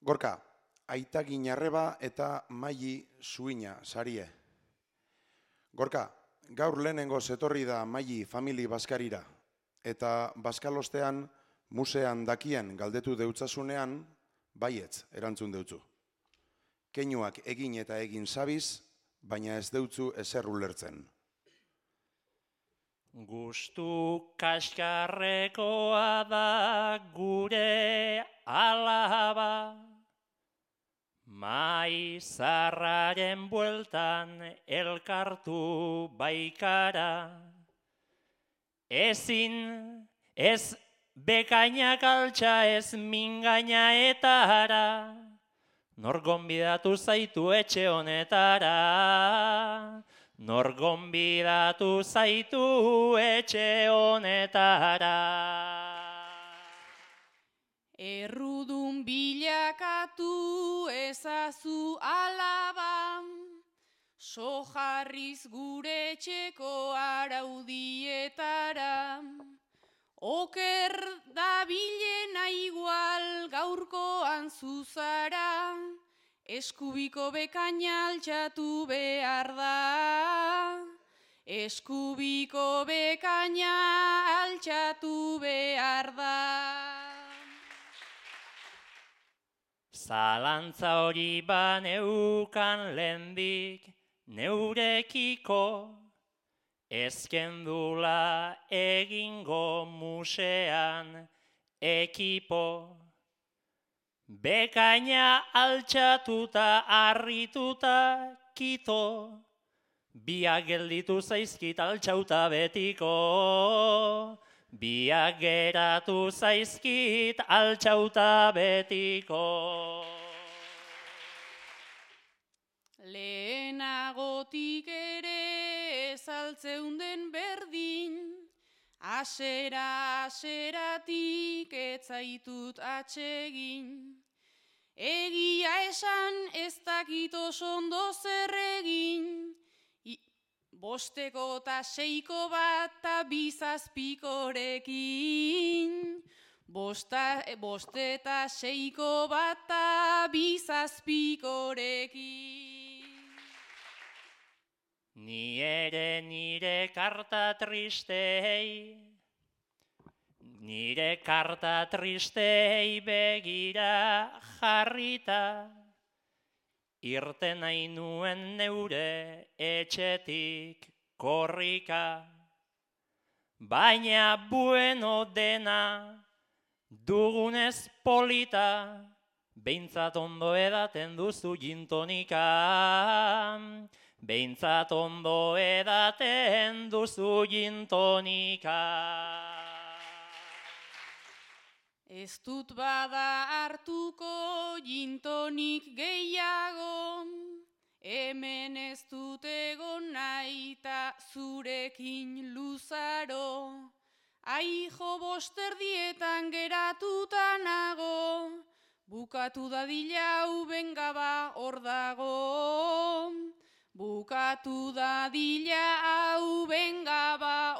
Gorka, aita ginarreba eta maili zuina, sarie. Gorka, gaur lehenengo zetorri da maili famili baskarira, eta baskalostean musean dakien galdetu deutzasunean, baietz erantzun deutzu. Keinuak egin eta egin sabiz, baina ez deutzu ezer ulertzen. Gustu kaskarrekoa da gure alaba, maizarraren bueltan elkartu baikara. Ezin, ez bekainak altxa, ez mingaina etara, nor gonbidatu zaitu etxe honetara. Nor gonbidatu zaitu etxe honetara. Errudun bilakatu ezazu alaba, sojarriz gure etxeko araudietara. Oker da bilena igual gaurkoan zuzara, eskubiko bekaina altxatu behar da. Eskubiko bekaina altxatu behar da. Zalantza hori baneukan lehendik neurekiko, ezkendula egingo musean ekipo. Bekaina altxatuta harrituta kito, biak gelditu zaizkit altxauta betiko. Biak geratu zaizkit altxauta betiko. Lehenagotik ere ezaltzeunden berdin, aseratik etzaitut atsegin. Egia esan ez dakit oso ondo zer egin, bosteko eta seiko bat eta bizazpikorekin. Boste eta seiko bat eta bizazpikorekin. Ni ere nire karta tristei begira jarrita, irten nahi nuen neure etxetik korrika. Baina bueno dena dugunez polita, behintzat ondo edaten duzu gintonika. Behintzat ondo edaten duzu gintonika. Ez dut bada hartuko gintonik gehiago, hemen ez dut egon nahi ta zurekin luzaro. Aijo bosterdietan geratuta nago, bukatu dadila hau benga ba hor dago. Bukatu dadila hau benga ba